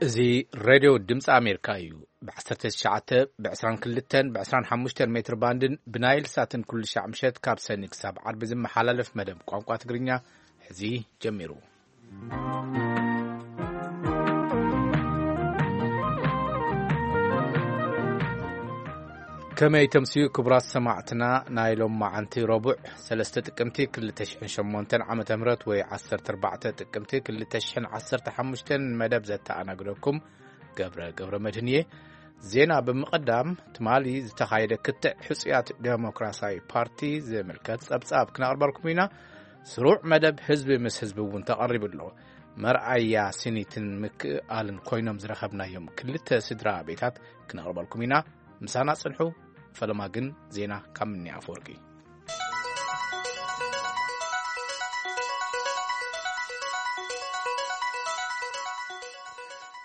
እዚ ሬድዮ ድምፂ ኣሜሪካ እዩ። ብ19፣ ብ22፣ ብ25 ሜትር ባንድን ብናይል ሳትን ኩሉ ሻዕ ምሸት ካብ ሰኒ ክሳብ ዓርቢ ዝመሓላለፍ መደብ ቋንቋ ትግርኛ ሕዚ ጀሚሩ። ከመይ ተምስዩ ክቡራት ሰማዕትና፣ ናይ ሎም መዓንቲ ረቡዕ ሰለስተ ጥቅምቲ ክልተ ሽሕን ሸሞንተን ዓመተ ምህረት ወይ ዓሰርተ ኣርባዕተ ጥቅምቲ ክልተ ሽሕን ዓሰርተ ሓሙሽተን መደብ ዘተኣናግደኩም ገብረ ገብረ መድህን እየ። ዜና ብምቕዳም ትማሊ ዝተኻየደ ክትዕ ሕጹያት ዴሞክራሲያዊ ፓርቲ ዝምልከት ጸብጻብ ክነቕርበልኩም ኢና። ስሩዕ መደብ ህዝቢ ምስ ህዝቢ እውን ተቐሪቡ ኣሎ። መርኣያ ስኒትን ምክእኣልን ኮይኖም ዝረኸብናዮም ክልተ ስድራ ቤታት ክነቕርበልኩም ኢና። ምሳና ጽንሑ። ፈለማ ግን ዜና ካብ ምኒ ኣፈወርቂ።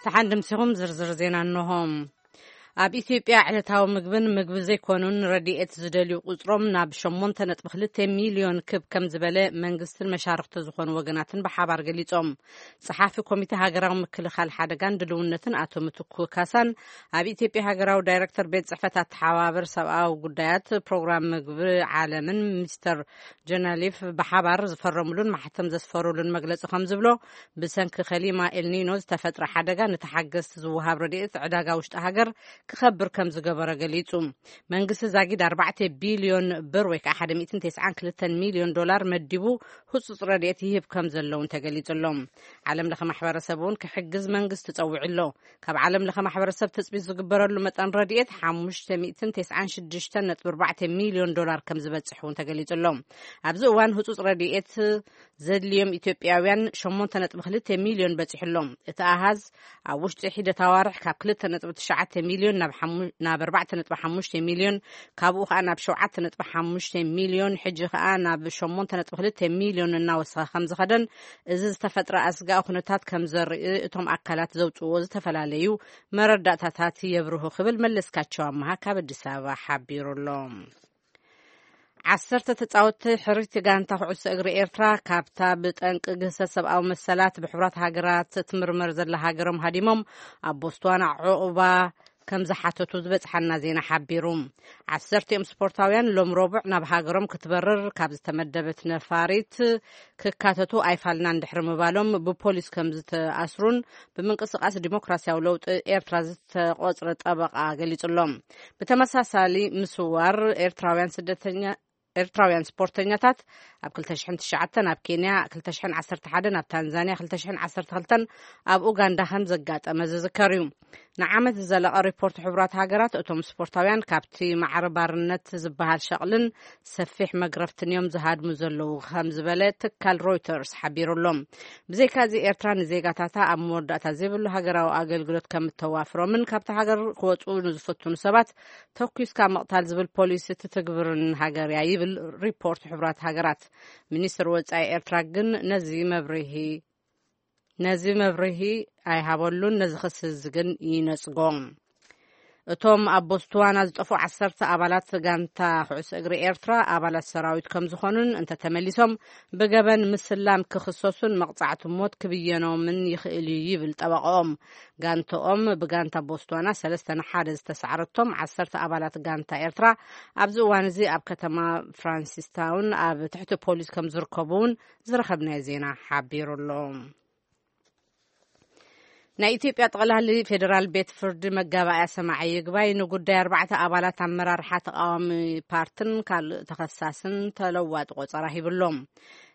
ተሓንድምሲኹም ዝርዝር ዜና እንሆ። ኣብ ኢትዮጵያ ዕለታዊ ምግብን ምግቢ ዘይኮኑን ረድኤት ዝደልዩ ቁጽሮም ናብ ሸሞንተ ነጥቢ ክልተ ሚልዮን ክብ ከም ዝበለ መንግስትን መሻርኽቲ ዝኾኑ ወገናትን ብሓባር ገሊጾም። ጸሓፊ ኮሚቴ ሃገራዊ ምክልኻል ሓደጋን ድልውነትን ኣቶ ምትኩ ካሳን ኣብ ኢትዮጵያ ሃገራዊ ዳይሬክተር ቤት ጽሕፈት ኣተሓባበር ሰብኣዊ ጉዳያት ፕሮግራም ምግቢ ዓለምን ሚስተር ጀነሊፍ ብሓባር ዝፈረሙሉን ማሕተም ዘስፈሩሉን መግለጺ ከም ዝብሎ፣ ብሰንኪ ከሊማ ኤልኒኖ ዝተፈጥረ ሓደጋ ንተሓገዝቲ ዝወሃብ ረድኤት ዕዳጋ ውሽጢ ሃገር ክኸብር ከም ዝገበረ ገሊጹ። መንግስቲ ዛጊድ ኣርባዕተ ቢልዮን ብር ወይ ከዓ ሓደ ሚእትን ተስዓን ክልተን ሚልዮን ዶላር መዲቡ ህጹጽ ረድኤት ይህብ ከም ዘለውን ተገሊጹ ኣሎ። ዓለም ለኸ ማሕበረሰብ እውን ክሕግዝ መንግስቲ ጸዊዑ ኣሎ። ካብ ዓለም ለኸ ማሕበረሰብ ትጽቢት ዝግበረሉ መጠን ረድኤት ሓሙሽተ ሚእትን ተስዓን ሽዱሽተን ነጥቢ ኣርባዕተ ሚልዮን ዶላር ከም ዝበጽሕ እውን ተገሊጹ ኣሎ። ኣብዚ እዋን ህጹጽ ረድኤት ዘድልዮም ኢትዮጵያውያን ሸሞንተ ነጥቢ ክልተ ሚልዮን በጺሑ ኣሎ። እቲ ኣሃዝ ኣብ ውሽጢ ሒደት ኣዋርሕ ካብ ክልተ ነጥቢ ትሽዓተ ሚልዮን ናብ ሓሙ-፣ ናብ ኣርባዕተ ነጥቢ ሓሙሽተ ሚልዮን፣ ካብኡ ከኣ ናብ ሸውዓተ ነጥቢ ሓሙሽተ ሚልዮን፣ ሕጂ ከኣ ናብ ሸሞንተ ነጥቢ ክልተ ሚልዮን እናወሰኸ ከም ዝኸደን፣ እዚ ዝተፈጥረ ኣስጋኢ ኩነታት ከም ዘርኢ እቶም ኣካላት ዘውጽእዎ ዝተፈላለዩ መረዳእታታት የብርሁ ክብል መለስካቸው ኣመሃ ካብ ኣዲስ ኣበባ ሓቢሩ ኣሎ። ዓሰርተ ተጻወትቲ ሕርይቲ ጋንታ ኩዕሶ እግሪ ኤርትራ ካብታ ብጠንቂ ግህሰት ሰብኣዊ መሰላት ብሕቡራት ሃገራት ትምርመር ዘላ ሃገሮም ሃዲሞም ኣብ ቦስዋና ዕቑባ ከም ዝሓተቱ ዝበጽሓና ዜና ሓቢሩ። ዓሰርቲኦም ስፖርታውያን ሎም ረቡዕ ናብ ሃገሮም ክትበርር ካብ ዝተመደበት ነፋሪት ክካተቱ ኣይፋልናን ድሕሪ ምባሎም ብፖሊስ ከም ዝተኣስሩን ብምንቅስቃስ ዲሞክራሲያዊ ለውጢ ኤርትራ ዝተቆጽረ ጠበቃ ገሊጹ ኣሎ። ብተመሳሳሊ ምስዋር ኤርትራውያን ስደተኛ፣ ኤርትራውያን ስፖርተኛታት ኣብ ክልተ ሽሕን ትሽዓተን ኣብ ኬንያ፣ ክልተ ሽሕን ዓሰርተ ሓደን ኣብ ታንዛንያ፣ ክልተ ሽሕን ዓሰርተ ክልተን ኣብ ኡጋንዳ ከም ዘጋጠመ ዝዝከር እዩ። ንዓመት ዝዘለቐ ሪፖርት ሕቡራት ሃገራት፣ እቶም ስፖርታውያን ካብቲ ማዕረ ባርነት ዝበሃል ሸቕልን ሰፊሕ መግረፍትን እዮም ዝሃድሙ ዘለዉ ከም ዝበለ ትካል ሮይተርስ ሓቢሩ ኣሎ። ብዘይካዚ ኤርትራ ንዜጋታታ ኣብ መወዳእታ ዘይብሉ ሃገራዊ ኣገልግሎት ከም እተዋፍሮምን ካብቲ ሃገር ክወጹ ንዝፍትኑ ሰባት ተኩስካ ምቕታል ዝብል ፖሊሲ ትትግብርን ሃገር እያ ይብል ሪፖርት ሕቡራት ሃገራት። ሚኒስትር ወጻኢ ኤርትራ ግን ነዚ መብርሂ ነዚ መብርሂ ኣይሃበሉን፣ ነዚ ክሲ እዚ ግን ይነጽጎ። እቶም ኣብ ቦስዋና ዝጠፍኡ ዓሰርተ ኣባላት ጋንታ ኩዕሶ እግሪ ኤርትራ ኣባላት ሰራዊት ከም ዝኾኑን እንተተመሊሶም ብገበን ምስላም ክኽሰሱን መቕጻዕቲ ሞት ክብየኖምን ይኽእል እዩ ይብል ጠበቃኦም። ጋንታኦም ብጋንታ ቦስዋና ሰለስተ ንሓደ ዝተሳዕረቶም ዓሰርተ ኣባላት ጋንታ ኤርትራ ኣብዚ እዋን እዚ ኣብ ከተማ ፍራንሲስታውን ኣብ ትሕቲ ፖሊስ ከም ዝርከቡ እውን ዝረኸብናዮ ዜና ሓቢሩ ኣሎ። ናይ ኢትዮጵያ ጠቕላሊ ፌዴራል ቤት ፍርዲ መጋባእያ ሰማዒ ይግባይ ንጉዳይ ኣርባዕተ ኣባላት ኣመራርሓ ተቃዋሚ ፓርትን ካልእ ተኸሳስን ተለዋጢ ቆጸራ ሂብሎም።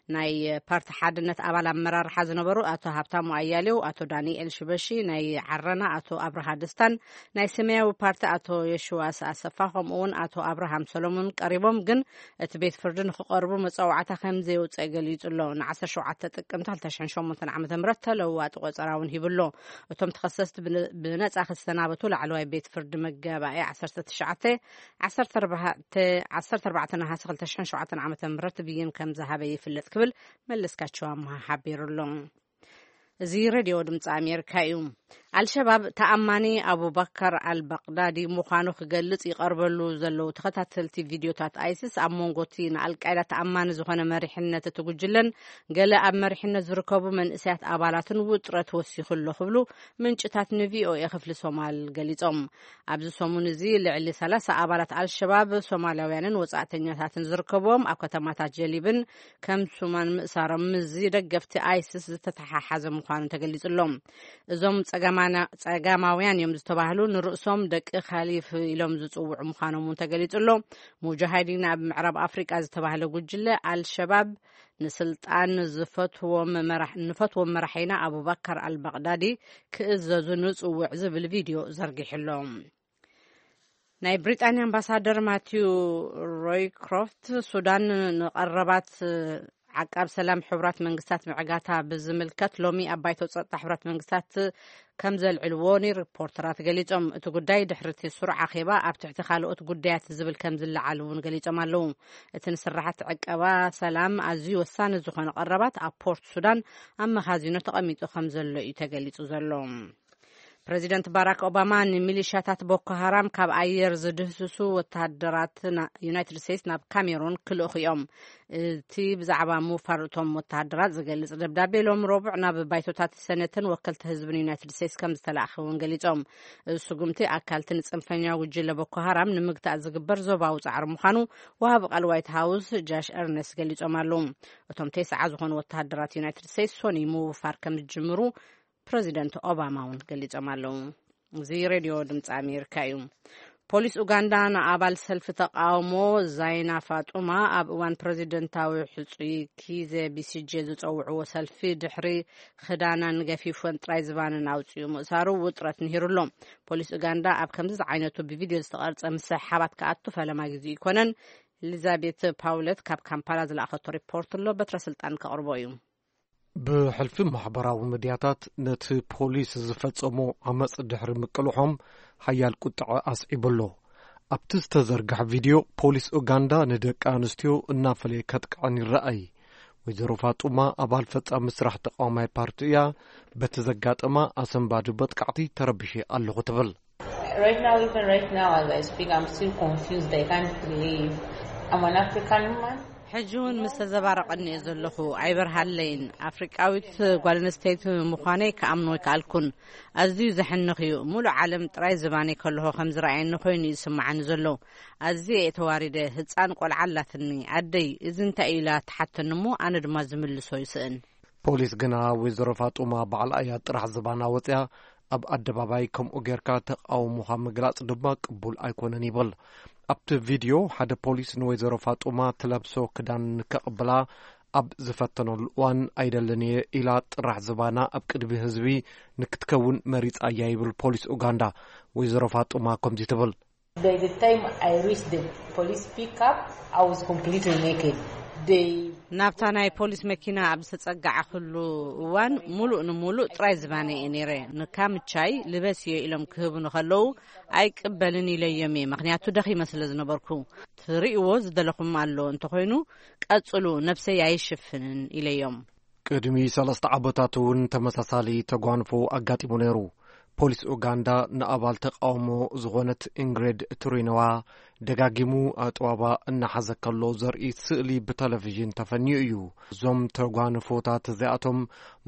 ናይ ፓርቲ ሓድነት ኣባል ኣመራርሓ ዝነበሩ ኣቶ ሃብታሙ ኣያሌው፣ ኣቶ ዳንኤል ሽበሺ፣ ናይ ዓረና ኣቶ ኣብርሃ ደስታን ናይ ሰማያዊ ፓርቲ ኣቶ የሽዋስ ኣሰፋ፣ ከምኡ እውን ኣቶ ኣብርሃም ሰሎሞን ቀሪቦም፣ ግን እቲ ቤት ፍርዲ ንክቐርቡ መጸዋዕታ ከም ዘየውጸ ገሊጹ ኣሎ። ን ዓሰርተ ሸውዓተ ጥቅምቲ ክልተ ሽሕን ሸሞንተን ዓመተ ምህረት ተለዋጢ ቆጸራ እውን ሂቡ ኣሎ። እቶም ተኸሰስቲ ብነ-፣ ብነጻ ክሰናበቱ ላዕለዋይ ቤት ፍርዲ መጋባእያ ዓሰርተ ትሽዓተ፣ ዓሰርተ ኣርባዕተ፣ ዓሰርተ ኣርባዕተ ነሃሰ ክልተ ሽሕን ሸውዓተን ዓመተ ምህረት ብይን ከም ዝሃበ ይፍለጥ ክብል መለስካቸው ኣምሃ ሓቢሩ ኣሎ። እዚ ሬድዮ ድምፂ ኣሜሪካ እዩ። ኣልሸባብ ተኣማኒ ኣቡባከር ኣልባቅዳዲ ምዃኑ ክገልጽ ይቐርበሉ ዘለዉ ተኸታተልቲ ቪድዮታት ኣይሲስ፣ ኣብ መንጎ እቲ ንኣልቃይዳ ተኣማኒ ዝኾነ መሪሕነት እቲ ጉጅለን ገለ ኣብ መሪሕነት ዝርከቡ መንእሰያት ኣባላትን ውጥረት ወሲኹ ኣሎ ክብሉ ምንጭታት ንቪኦኤ ክፍሊ ሶማል ገሊጾም። ኣብዚ ሰሙን እዚ ልዕሊ ሰላሳ ኣባላት ኣልሸባብ ሶማላውያንን ወጻእተኛታትን ዝርከብዎም ኣብ ከተማታት ጀሊብን ከም ሱማን ምእሳሮም ምስዚ ደገፍቲ ኣይሲስ ዝተተሓሓዘ ምዃኑ ተገሊጹ ኣሎ። እዞም ጸጋማና-፣ ጸጋማውያን እዮም ዝተባህሉ ንርእሶም ደቂ ካሊፍ ኢሎም ዝጽውዑ ምዃኖም እውን ተገሊጹ ኣሎ። ሙጃሃዲን ኣብ ምዕራብ ኣፍሪቃ ዝተባህለ ጉጅለ ኣልሸባብ ንስልጣን ዝፈትዎም መራሕ-፣ ንፈትዎም መራሒና ኣቡባከር ኣልባቅዳዲ ክእዘዙ ንጽውዕ ዝብል ቪድዮ ዘርጊሑ ኣሎ። ናይ ብሪጣንያ ኣምባሳደር ማቲው ሮይክሮፍት ሱዳን ንቐረባት ዓቃብ ሰላም ሕቡራት መንግስታት ምዕጋታ ብዝምልከት ሎሚ ኣብ ባይቶ ጸጥታ ሕቡራት መንግስታት ከም ዘልዕልዎ ሪፖርተራት ገሊጾም። እቲ ጉዳይ ድሕሪ እቲ ስሩዕ ኣኼባ ኣብ ትሕቲ ካልኦት ጉዳያት ዝብል ከም ዝለዓል እውን ገሊጾም ኣለዉ። እቲ ንስራሓት ዕቀባ ሰላም ኣዝዩ ወሳኒ ዝኾነ ቀረባት ኣብ ፖርት ሱዳን ኣብ መኻዚኖ ተቐሚጡ ከም ዘሎ እዩ ተገሊጹ ዘሎ። ፕረዚደንት ባራክ ኦባማ ንሚሊሻታት ቦኮ ሃራም ካብ ኣየር ዝድህስሱ ወተሃደራት ና-፣ ዩናይትድ ስቴትስ ናብ ካሜሩን ክልእኹ እዮም። እቲ ብዛዕባ ምውፋር እቶም ወተሃደራት ዝገልጽ ደብዳቤ ሎም ረቡዕ ናብ ባይቶታት ሰነትን ወከልቲ ህዝብን ዩናይትድ ስቴትስ ከም ዝተላእኸ እውን ገሊጾም። እዚ ስጉምቲ ኣካልቲ ንጽንፈኛ ጉጅለ ቦኮ ሃራም ንምግታእ ዝግበር ዞባዊ ጻዕሪ ምዃኑ ወሃቢ ቃል ዋይት ሃውስ ጃሽ ኤርነስት ገሊጾም ኣለዉ። እቶም ተስዓ ዝኾኑ ወተሃደራት ዩናይትድ ስቴትስ ሶኒ ምውፋር ከም ዝጅምሩ ፕረዚደንት ኦባማ እውን ገሊጾም ኣለዉ። እዚ ሬድዮ ድምፂ ኣሜሪካ እዩ። ፖሊስ ኡጋንዳ ንኣባል ሰልፊ ተቃውሞ ዛይና ፋጡማ ኣብ እዋን ፕረዚደንታዊ ሕጹይ ኪዘ ቢሲጄ ዝጸውዕዎ ሰልፊ ድሕሪ ክዳናን ገፊፎን ጥራይ ዝባንን ኣውጽኡ ምእሳሩ ውጥረት ንሂሩ ኣሎ። ፖሊስ ኡጋንዳ ኣብ ከምዚ ዝዓይነቱ ብቪድዮ ዝተቐርጸ ምስሕሓባት ክኣቱ ፈለማ ግዜ ይኮነን። ኤሊዛቤት ፓውለት ካብ ካምፓላ ዝለኣኸቶ ሪፖርት ኣሎ። በትረ ስልጣን ከቕርቦ እዩ። ብሕልፊ ማሕበራዊ ሚድያታት ነቲ ፖሊስ ዝፈጸሞ ዓመጽ ድሕሪ ምቅልሖም ሓያል ቁጥዐ ኣስዒቡ ኣሎ። ኣብቲ ዝተዘርግሐ ቪድዮ፣ ፖሊስ ኡጋንዳ ንደቂ ኣንስትዮ እናፈለየ ከጥቅዐን ይረኣይ። ወይዘሮ ፋጡማ ኣባል ፈጻሚ ስራሕ ተቃዋማይ ፓርቲ እያ። በቲ ዘጋጠማ ኣሰንባዲ መጥቃዕቲ ተረቢሸ ኣለኹ ትብል። Right now, even right now, as I speak, I'm still confused. I can't believe I'm an African woman. ሕጂ እውን ምስ ተዘባረቐኒ እየ ዘለኹ። ኣይበርሃለይን። ኣፍሪቃዊት ጓል ኣንስተይቲ ምዃነይ ክኣምኖ ኣይከኣልኩን። ኣዝዩ ዘሕንኽ እዩ። ሙሉእ ዓለም ጥራይ ዝባነይ ከለኹ ከም ዝረኣየኒ ኮይኑ እዩ ዝስምዓኒ ዘሎ። ኣዝየ እየ ተዋሪደ። ህጻን ቆልዓ ኣላትኒ። ኣደይ፣ እዚ እንታይ እዩ ኢላ ትሓተኒ እሞ፣ ኣነ ድማ ዝምልሶ ይስእን። ፖሊስ ግና ወይዘሮ ፋጡማ ባዕላ እያ ጥራሕ ዝባና ወፅያ፣ ኣብ ኣደባባይ ከምኡ ጌርካ ተቃውሞኻ ምግላጽ ድማ ቅቡል ኣይኮነን ይብል። ኣብቲ ቪድዮ ሓደ ፖሊስ ንወይዘሮ ፋጡማ ትለብሶ ክዳን ንከቕብላ ኣብ ዝፈተነሉ እዋን ኣይደልን እየ ኢላ ጥራሕ ዝባና ኣብ ቅድሚ ህዝቢ ንክትከውን መሪጻ እያ ይብል ፖሊስ ኡጋንዳ። ወይዘሮ ፋጡማ ከምዚ ትብል። By the time I reached the police pickup, I was completely naked. They ናብታ ናይ ፖሊስ መኪና ኣብ ዝተጸጋዕኩሉ እዋን፣ ሙሉእ ንሙሉእ ጥራይ ዝባነ እየ ነይረ። ንካምቻይ ልበስዮ ኢሎም ክህቡኒ ከለዉ፣ ኣይቅበልን ኢለዮም እየ፣ ምኽንያቱ ደኺመ ስለ ዝነበርኩ። ትርእይዎ ዝደለኹም ኣሎ፣ እንተኾይኑ ቀጽሉ፣ ነብሰይ ኣይሽፍንን ኢለዮም። ቅድሚ ሰለስተ ዓመታት እውን ተመሳሳሊ ተጓንፎ ኣጋጢሙ ነይሩ። ፖሊስ ኡጋንዳ ንኣባል ተቃውሞ ዝኾነት ኢንግሬድ ቱሪነዋ ደጋጊሙ ኣጥዋባ እናሓዘ ከሎ ዘርኢ ስእሊ ብቴሌቪዥን ተፈንዩ እዩ። እዞም ተጓንፎታት እዚኣቶም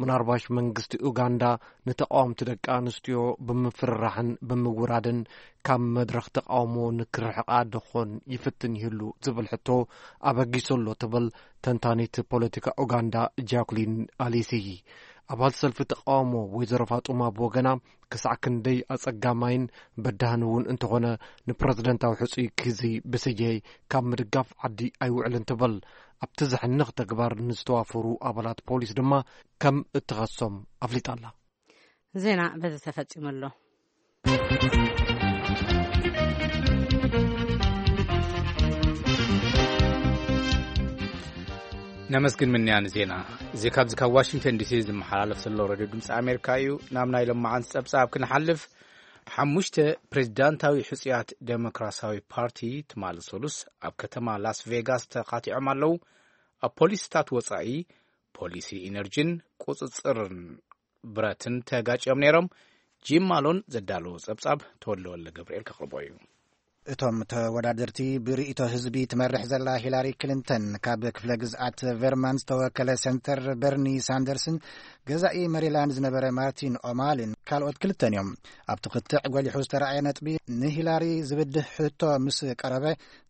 ምናልባሽ መንግስቲ ኡጋንዳ ንተቃወምቲ ደቂ ኣንስትዮ ብምፍርራሕን ብምውራድን ካብ መድረኽ ተቃውሞ ንክርሕቃ ደኾን ይፍትን ይህሉ ዝብል ሕቶ ኣበጊሱ ኣሎ ትብል ተንታኒት ፖለቲካ ኡጋንዳ ጃኩሊን ኣሊሲ። ኣባል ሰልፊ ተቃውሞ ወይዘሮ ፋጡማ ብወገና ክሳዕ ክንደይ ኣጸጋማይን በዳህን እውን እንተኾነ ንፕረዚደንታዊ ሕጹይ ኪዚ ብስየ ካብ ምድጋፍ ዓዲ ኣይውዕልን ትብል። ኣብቲ ዘሕንኽ ተግባር ንዝተዋፈሩ ኣባላት ፖሊስ ድማ ከም እትኸሶም ኣፍሊጣ ኣላ። ዜና በዚ ተፈጺሙ ኣሎ። ነመስግን ምንያን ዜና። እዚ ካብዚ ካብ ዋሽንግተን ዲሲ ዝመሓላለፍ ዘሎ ሬድዮ ድምፂ ኣሜሪካ እዩ። ናብ ናይ ሎማዓንቲ ጸብጻብ ክንሓልፍ፣ ሓሙሽተ ፕሬዚዳንታዊ ሕጹያት ዴሞክራሲያዊ ፓርቲ ትማሊ ሰሉስ ኣብ ከተማ ላስ ቬጋስ ተኻቲዖም ኣለዉ። ኣብ ፖሊሲታት ወጻኢ፣ ፖሊሲ ኢነርጂን ቁጽጽርን ብረትን ተጋጭዮም ነይሮም። ጂም ማሎን ዘዳለዎ ጸብጻብ ተወልደ ወልደ ገብርኤል ከቕርቦ እዩ። እቶም ተወዳደርቲ፣ ብርእይቶ ህዝቢ ትመርሕ ዘላ ሂላሪ ክሊንተን፣ ካብ ክፍለ ግዝኣት ቨርማንት ዝተወከለ ሰንተር በርኒ ሳንደርስን ገዛኢ መሪላንድ ዝነበረ ማርቲን ኦማልን ካልኦት ክልተን እዮም። ኣብቲ ክትዕ ጎሊሑ ዝተረኣየ ነጥቢ፣ ንሂላሪ ዝብድህ ሕቶ ምስ ቀረበ፣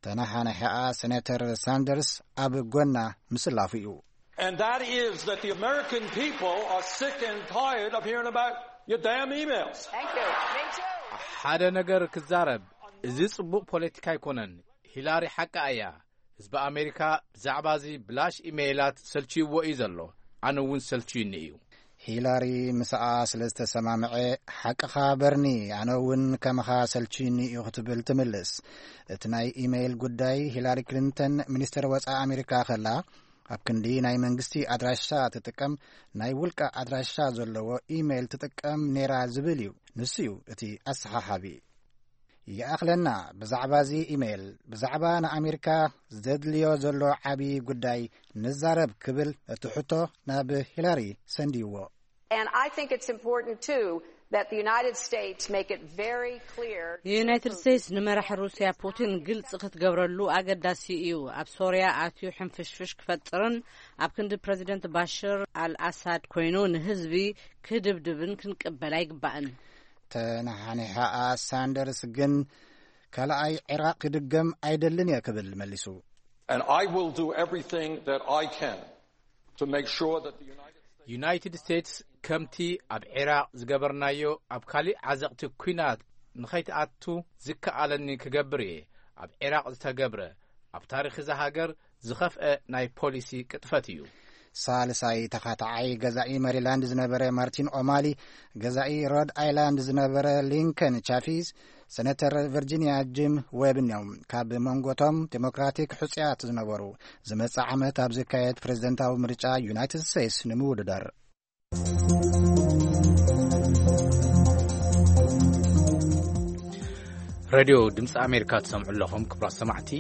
ተነሓናሒኣ ሰነተር ሳንደርስ ኣብ ጎና ምስላፉ እዩ። And that is that the American people are sick and tired of hearing about your damn emails. Thank you. Me too. ሓደ ነገር ክዛረብ፣ እዚ ጽቡቕ ፖለቲካ ኣይኮነን። ሂላሪ ሓቃ እያ። ህዝቢ ኣሜሪካ ብዛዕባ እዚ ብላሽ ኢሜይላት ሰልችይዎ እዩ ዘሎ። ኣነ እውን ሰልችዩኒ እዩ። ሂላሪ ምስኣ ስለ ዝተሰማምዐ፣ ሓቅኻ በርኒ፣ ኣነ እውን ከመኻ ሰልችዩኒ እዩ ክትብል ትምልስ። እቲ ናይ ኢሜይል ጉዳይ፣ ሂላሪ ክሊንተን ሚኒስተር ወጻኢ ኣሜሪካ ከላ፣ ኣብ ክንዲ ናይ መንግስቲ ኣድራሻ ትጥቀም፣ ናይ ውልቃ ኣድራሻ ዘለዎ ኢሜይል ትጥቀም ነይራ ዝብል እዩ። ንሱ እዩ እቲ ኣሰሓሓቢ። ይኣኽለና፣ ብዛዕባ እዚ ኢሜይል፣ ብዛዕባ ንኣሜሪካ ዘድልዮ ዘሎ ዓቢ ጉዳይ ንዛረብ ክብል እቲ ሕቶ ናብ ሂላሪ ሰንድይዎ። And I think it's important too that the United States make it very clear. ንዩናይትድ ስቴትስ ንመራሒ ሩስያ ፑቲን ግልጽ ክትገብረሉ ኣገዳሲ እዩ። ኣብ ሶርያ ኣትዩ ሕንፍሽፍሽ ክፈጥርን ኣብ ክንዲ ፕረዚደንት ባሽር ኣልኣሳድ ኮይኑ ንህዝቢ ክድብድብን ክንቅበል ኣይግባእን። ተነሓኒሓኣ ሳንደርስ ግን፣ ካልኣይ ዒራቕ ክድገም ኣይደልን እየ ክብል መሊሱ። And I will do everything that I can to make sure that the United States. ዩናይትድ ስቴትስ ከምቲ ኣብ ዒራቕ ዝገበርናዮ ኣብ ካሊእ ዓዘቕቲ ኲናት ንኸይትኣቱ ዝከኣለኒ ክገብር እየ። ኣብ ዒራቕ ዝተገብረ፣ ኣብ ታሪኽ እዛ ሃገር ዝኸፍአ ናይ ፖሊሲ ቅጥፈት እዩ። ሳልሳይ ተኻታዓይ ገዛኢ መሪላንድ ዝነበረ ማርቲን ኦማሊ፣ ገዛኢ ሮድ ኣይላንድ ዝነበረ ሊንከን ቻፊዝ፣ ሰነተር ቨርጂኒያ ጂም ዌብን እዮም። ካብ መንጎቶም ዴሞክራቲክ ሕጹያት ዝነበሩ፣ ዝመጽእ ዓመት ኣብ ዝካየድ ፕሬዝደንታዊ ምርጫ ዩናይትድ ስቴትስ ንምውድዳር። ሬድዮ ድምፂ ኣሜሪካ ትሰምዑ ኣለኹም ክቡራት ሰማዕቲ።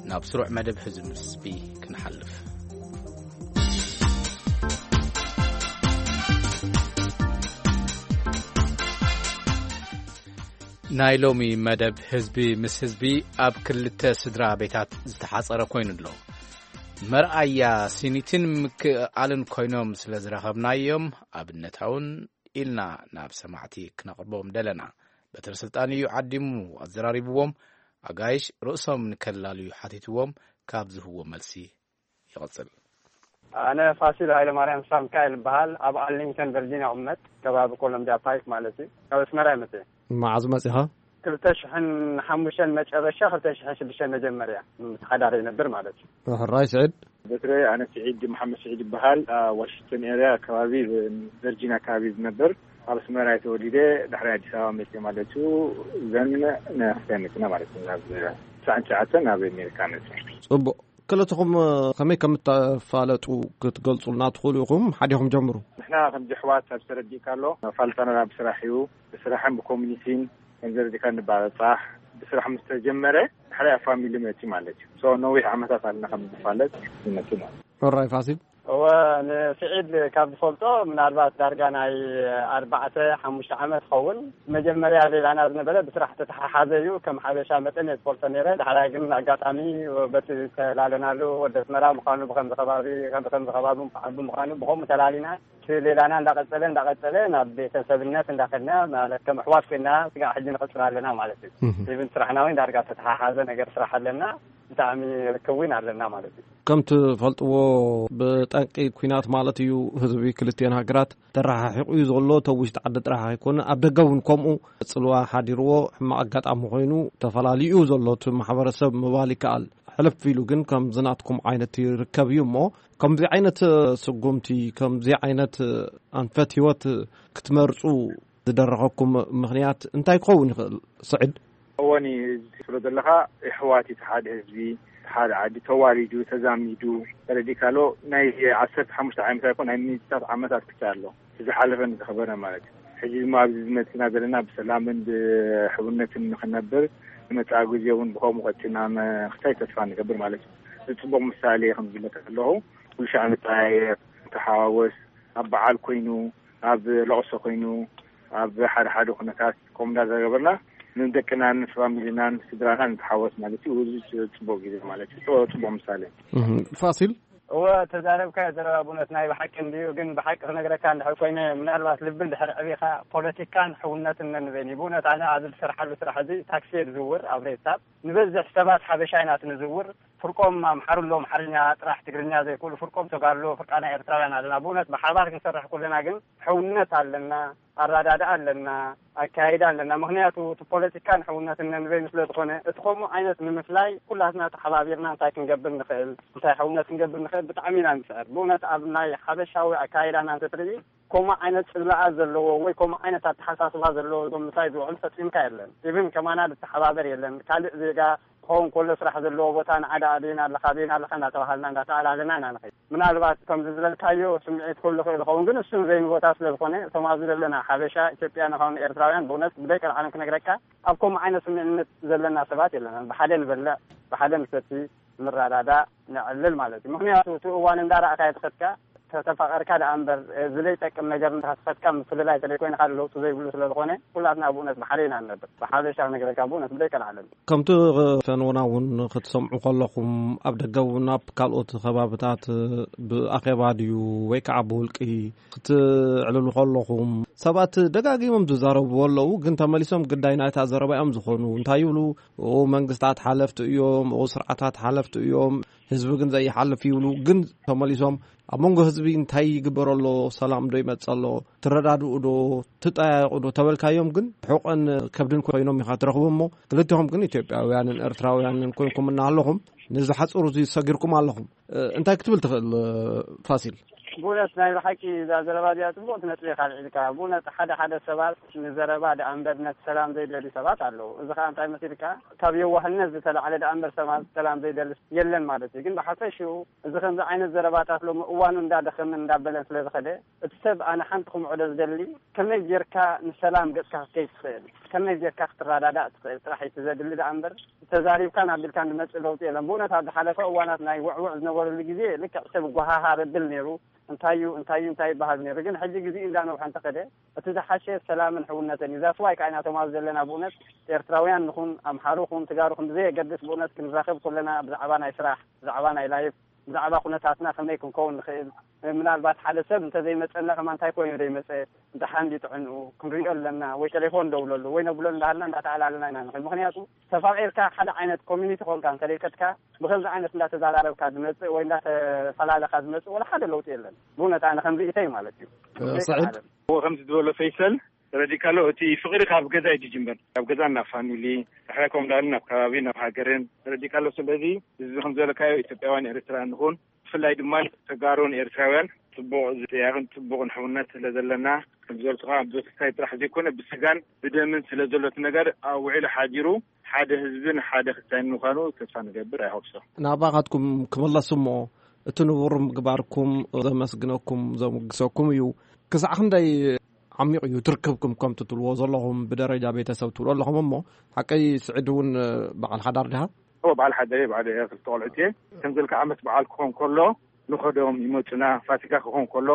ናብ ስሩዕ መደብ ህዝቢ ምስ ህዝቢ ክንሓልፍ። ናይ ሎሚ መደብ ህዝቢ ምስ ህዝቢ ኣብ ክልተ ስድራ ቤታት ዝተሓጸረ ኮይኑ ኣሎ። መርኣያ ሲኒትን ምክእኣልን ኮይኖም ስለ ዝረኸብናዮም፣ ኣብነታውን ኢልና ናብ ሰማዕቲ ክነቕርቦም ደለና። በትረ ስልጣን እዩ ዓዲሙ ኣዘራሪብዎም። ኣጋይሽ ርእሶም ንከላልዩ ሓቲትዎም፣ ካብ ዝህዎ መልሲ ይቕጽል። ኣነ ፋሲል ሃይለማርያም ሳምካኤል እበሃል። ኣብ ኣርሊንግተን ቨርጂኒያ እቕመጥ፣ ከባቢ ኮሎምቢያ ፓይክ ማለት እዩ። ካብ ኣስመራ እየ መፅእ። መዓዝ መፂኻ? ክልተ ሽሕን ሓሙሽተን መጨረሻ፣ ክልተ ሽሕን ሽዱሽተን መጀመርያ ምስ ሓዳር ይነብር ማለት እዩ። ሕራይ ስዒድ። በትረ፣ ኣነ ስዒድ መሓመድ ስዒድ ይበሃል። ኣብ ዋሽንግተን ኤርያ ኣካባቢ፣ ቨርጂን ኣካባቢ ዝነብር። ኣብ ኣስመራ ተወሊደ፣ ድሕሪ ኣዲስ ኣበባ መፅየ ማለት እዩ። ዘን ንክልተ መፅና ማለት እዩ። ናብ ትስዓን ትሽዓተን ናብ ኣሜሪካ መፅየ። ፅቡቕ። ክልትኹም ከመይ ከም እተፋለጡ ክትገልጹልና ትኽእሉ ኢኹም? ሓዲኹም ጀምሩ። ንሕና ከምዚ ኣሕዋት ኣብ ተረዲእካ ኣሎ፣ ፋልጣና ብስራሕ እዩ። ብስራሕን ብኮሚኒቲን ከም ዘረዲእካ ንባጻሕ። ብስራሕ ምስ ተጀመረ፣ ድሕሪ ኣብ ፋሚሊ መጺ ማለት እዩ። ሶ ነዊሕ ዓመታት ኣለና ከም ንፋለጥ፣ ይመጽእ ማለት እዩ። ኦራይ ፋሲል። እወ፣ ንስዒድ ካብ ዝፈልጦ ምናልባት ዳርጋ ናይ ኣርባዕተ ሓሙሽተ ዓመት ኸውን። መጀመርያ ሌላና ዝነበረ ብስራሕ ተተሓሓዘ እዩ። ከም ሓበሻ መጠን እየ ዝፈልጦ ነይረ። ዳሕራይ ግን ኣጋጣሚ በቲ ዝተላለናሉ ወዲ ኣስመራ ምዃኑ፣ ብኸምዚ ከባቢ፣ ከም፣ ብኸምዚ ከባቢ ዓቢ ምዃኑ፣ ብኸምኡ ተላሊና። እቲ ሌላና እንዳቐጸለ፣ እንዳቐጸለ ናብ ቤተሰብነት እንዳኸድና፣ ማለት ከም ኣሕዋት ኮይና ስጋዕ ሕጂ ንቕጽል ኣለና ማለት እዩ። እህ። ኢቭን ስራሕና እውን ዳርጋ ተተሓሓዘ ነገር ስራሕ ኣለና። ብጣዕሚ ርክብ እውን ኣለና ማለት እዩ። ከም ትፈልጥዎ፣ ብጠንቂ ኲናት ማለት እዩ፣ ህዝቢ ክልቲኤን ሃገራት ተረሓሒቑ እዩ ዘሎ። እቲ ኣብ ውሽጢ ዓዲ ጥራሕ ኣይኮነ፣ ኣብ ደገ እውን ከምኡ ጽልዋ ሓዲርዎ፣ ሕማቕ ኣጋጣሚ ኮይኑ ተፈላልዩ እዩ ዘሎ እቲ ማሕበረሰብ ምባል ይከኣል። ሕልፍ ኢሉ ግን ከምዚ ናትኩም ዓይነት ይርከብ እዩ እሞ፣ ከምዚ ዓይነት ስጉምቲ፣ ከምዚ ዓይነት ኣንፈት ህይወት ክትመርጹ ዝደረኸኩም ምኽንያት እንታይ ክኸውን ይኽእል? ስዒድ። እወኒ፣ እዚ ትብሎ ዘለኻ፣ ኣሕዋት እቲ ሓደ ህዝቢ፣ ሓደ ዓዲ ተዋሊዱ፣ ተዛሚዱ፣ ተረዲእካ ኣሎ። ናይ ዓሰርተ ሓሙሽተ ዓመት ኣይኮን፣ ናይ ሚእትታት ዓመታት ክታይ ኣሎ። እቲ ዝሓለፈን ዝኸበረ ማለት እዩ። ሕጂ ድማ ኣብዚ ዝመጽና ዘለና ብሰላምን ብሕውነትን ንኽነብር፣ ንመጻኢ ግዜ እውን ብኸምኡ ቀጺልና ምኽታይ ተስፋ ንገብር ማለት እዩ። እዚ ጽቡቕ ምሳሌ ከም ዝብለካ ኣለኹ፣ ኩሉ ሻዕ ንጠያየቕ፣ ንተሓዋወስ፣ ኣብ በዓል ኮይኑ፣ ኣብ ለቕሶ ኮይኑ፣ ኣብ ሓደ ሓደ ኩነታት ከምኡ እንዳተገበርና ንደቅናን ንፋሚሊናን ስድራናን ንተሓወስ ማለት እዩ። እዚ ጽቡቅ ግዜ ማለት እዩ። ጽቡቅ፣ ጽቡቅ ምሳሌ። እህ፣ ፋሲል? እወ፣ ተዛረብካዮ ዘረባ ብእውነት ናይ ብሓቂ እንድዩ። ግን ብሓቂ ክነግረካ እንድሕር ኮይነ፣ ምናልባት ልቢ እንድሕር ዕቢኻ ፖለቲካን ሕውነትን ነንበይን እዩ። ብእውነት ኣነ ኣብዚ ዝሰርሓሉ ስራሕ እዚ ታክሲ እየ ዝዝውር ኣብ ሬሳብ። ንበዝሕ ሰባት ሓበሻ ኢና እቲ ንዝውር። ፍርቆም ኣምሓሩ ኣሎ፣ ኣምሓርኛ ጥራሕ ትግርኛ ዘይክእሉ፣ ፍርቆም ተጋሩ ኣሎ፣ ፍርቃና ኤርትራውያን ኣለና። ብእውነት ብሓባር ክንሰርሕ ከለና ግን ሕውነት ኣለና፣ ኣረዳድኣ ኣለና፣ ኣካያይዳ ኣለና። ምኽንያቱ እቲ ፖለቲካን ሕውነትን ነንበይኑ ስለ ዝኾነ፣ እቲ ከምኡ ዓይነት ንምፍላይ ኩላትና ተሓባቢርና እንታይ ክንገብር ንኽእል፣ እንታይ ሕውነት ክንገብር ንኽእል ብጣዕሚ ኢና ንስዕር። ብእውነት ኣብ ናይ ሓበሻዊ ኣካያይዳና እንተትርኢ፣ ከምኡ ዓይነት ጽላኣት ዘለዎ ወይ ከምኡ ዓይነት ኣተሓሳስባ ዘለዎ እዞም ምሳይ ዝውዕሉ ፈጺምካ የለን። ኢቭን ከማና ዝተሓባበር የለን። ካልእ ዜጋ ክኸውን ከሎ ስራሕ ዘለዎ ቦታ ንዓዳ ኣበይና ኣለኻ፣ ኣበይና ኣለኻ እንዳተባሃልና እንዳተኣላለና ኢና ንኸይድ። ምናልባት ከምዚ ዝበልካዮ ስምዒት ክህሉ ይኽእል ይኸውን፣ ግን እሱ ዘይኒ ቦታ ስለ ዝኾነ እቶም ኣብዚ ዘለና ሓበሻ፣ ኢትዮጵያን ኻውን ኤርትራውያን ብእውነት ብደይ ቀልዓለም ክነግረካ ኣብ ከምኡ ዓይነት ስምዕነት ዘለና ሰባት የለናን። ብሓደ ንበልዕ፣ ብሓደ ንሰቲ፣ ንረዳዳእ፣ ነዕልል ማለት እዩ። ምኽንያቱ እቲ እዋን እንዳረኣኻዮ ትኸድካ፣ ተተፋቐርካ ደኣ እምበር፣ እ፣ ዝለይጠቅም ነገር እንዳተኸድካ ምፍልላይ ተለይ ኮይንካ ለውጢ ዘይብሉ ስለ ዝኾነ፣ ኩላትና ብእውነት ብሓደ ኢና ንነብር። ብሓበሻ ክነግረካ ብእውነት ብደይ ቀልዓለም። ከምቲ ፈንውና እውን ክትሰምዑ ከለኹም፣ ኣብ ደገ እውን ኣብ ካልኦት ከባብታት ብኣኼባ ድዩ ወይ ከዓ ብውልቂ ክትዕልሉ ከለኹም፣ ሰባት ደጋጊሞም ዝዛረብዎ ኣለዉ፣ ግን ተመሊሶም ግዳይ ናይታ ዘረባ እዮም ዝኾኑ። እንታይ ይብሉ? "ኦ፣ መንግስታት ሓለፍቲ እዮም፣ ኦ፣ ስርዓታት ሓለፍቲ እዮም፣ ህዝቢ ግን ዘይሓልፍ" ይብሉ። ግን ተመሊሶም ኣብ መንጎ ህዝቢ እንታይ ይግበር ኣሎ? ሰላም ዶ ይመጽእ ኣሎ? ትረዳድኡ ዶ? ትጠያየቑ ዶ? ተበልካዮም ግን ሕቖን ከብድን ኮይኖም ኢኻ ትረኽቦም። እሞ ክልቲኹም ግን ኢትዮጵያውያንን ኤርትራውያንን ኮይንኩም እናሃለኹም ነዚ ሓጹር እዚ ሰጊርኩም ኣለኹም። እ፣ እንታይ ክትብል ትኽእል፣ እ፣ ፋሲል? ብእውነት ናይ ብሓቂ እዛ ዘረባ እዚኣ ጽቡቕቲ ነጥቢ ኢኻ ኣልዒልካ። ብእውነት ሓደ ሓደ ሰባት ንዘረባ ደኣ እምበር ነቲ ሰላም ዘይደልዩ ሰባት ኣለዉ። እዚ ኸኣ እንታይ መሲልካ? ካብ የዋህነት ዝተላዕለ ደኣ እምበር ሰባት ሰላም ዘይደሊ የለን ማለት እዩ። ግን ብሓፈሽኡ እዚ ከምዚ ዓይነት ዘረባታት ሎሚ እዋኑ እንዳደኸመን እንዳበለን ስለ ዝኸደ፣ እቲ ሰብ ኣነ ሓንቲ ክምዕዶ ዝደሊ፣ ከመይ ጌርካ ንሰላም ገጽካ ክትከይድ ትኽእል፣ ከመይ ጌርካ ክትረዳዳእ ትኽእል ጥራሕ እዩ እቲ ዘድሊ ደኣ እምበር፣ ተዛሪብካን ኣቢልካን ዝመጽእ ለውጢ የለን። ብእውነት ኣብ ዝሓለፈ እዋናት ናይ ውዕውዕ ዝነበረሉ ግዜ ልክዕ ሰብ ጓሃሃር ብል ነይሩ፣ እንታይ እዩ፣ እንታይ እዩ፣ እንታይ ይበሃል ነይሩ። ግን ሕጂ ግዜ እንዳነውሐ እንተኸደ፣ እቲ ዝሓሸ ሰላምን ሕውነትን እዩ። ዛስዋይ ከዓ ኢና ቶም ኣብዚ ዘለና ብእውነት ኤርትራውያን ንኹን፣ ኣምሓሩ ኹን፣ ትጋሩ ኹን፣ ብዘየገድስ ብእውነት ክንራኸብ ከለና ብዛዕባ ናይ ስራሕ፣ ብዛዕባ ናይ ላይፍ፣ ብዛዕባ ኩነታትና ከመይ ክንከውን ንኽእል፣ ምናልባት ሓደ ሰብ እንተዘይመጸና ከማን እንታይ ኮይኑ ዘይመጸ፣ ደሓን ድዩ ጥዕንኡ፣ ክንሪኦ ኣለና፣ ወይ ቴሌፎን ደውለሉ፣ ወይ ነብሎ እንዳሃልና እንዳተኣላለና ኢና ንኽእል። ምኽንያቱ ተፋቒርካ ሓደ ዓይነት ኮሚኒቲ ኮንካ እንተደይከድካ፣ ብኸምዚ ዓይነት እንዳተዘራረብካ ዝመጽእ ወይ እንዳተፈላለኻ ዝመጽእ ወላ ሓደ ለውጢ የለን። ብእውነት ኣነ ከም ርእይተይ ማለት እዩ። እ፣ ሰዒድ? እዎ፣ ከምዚ ዝበሎ ፈይሰል፣ ተረዲእካ ኣሎ፣ እቲ ፍቕሪ ካብ ገዛ እዩ ዝጅምር። ካብ ገዛ ናብ ፋሚሊ፣ ድሕራይ ከም ዳኣሉ ናብ ከባቢ፣ ናብ ሃገርን ተረዲእካ ኣሎ። ስለዚ እዚ ከም ዝበለካዮ ኢትዮጵያውያን ኤርትራውያን ንኹን፣ ብፍላይ ድማ ተጋሩን ኤርትራውያን ጽቡቕ ዝጥያቕን ጽቡቕን ሕውነት ስለ ዘለና፣ ከም ዝበልኩኻ ብክስታይ ጥራሕ ዘይኮነ ብስጋን ብደምን ስለ ዘሎ እቲ ነገር ኣብ ውዒሉ ሓዲሩ ሓደ ህዝብን ሓደ ክስታይን ምዃኑ ተስፋ ንገብር። ኣይሆፕ ሶ። ናባኻትኩም ክምለስ እሞ እቲ ንቡር ምግባርኩም ዘመስግነኩም ዘሙግሰኩም እዩ። ክሳዕ ክንደይ ዓሚቕ እዩ ትርክብኩም ከምቲ ትብልዎ ዘለኹም ብደረጃ ቤተሰብ ትብሉ ኣለኹም እሞ፣ ሓቀይ ስዒድ እውን በዓል ሓዳር ድኻ? እዎ፣ በዓል ሓዳር እየ፣ በዓል እየ፣ ክልተ ቆልዑት እየ። ከም ዘልካ ዓመት በዓል ክኾን ከሎ ንኸዶም ይመጹና፣ ፋሲካ ክኾን ከሎ፣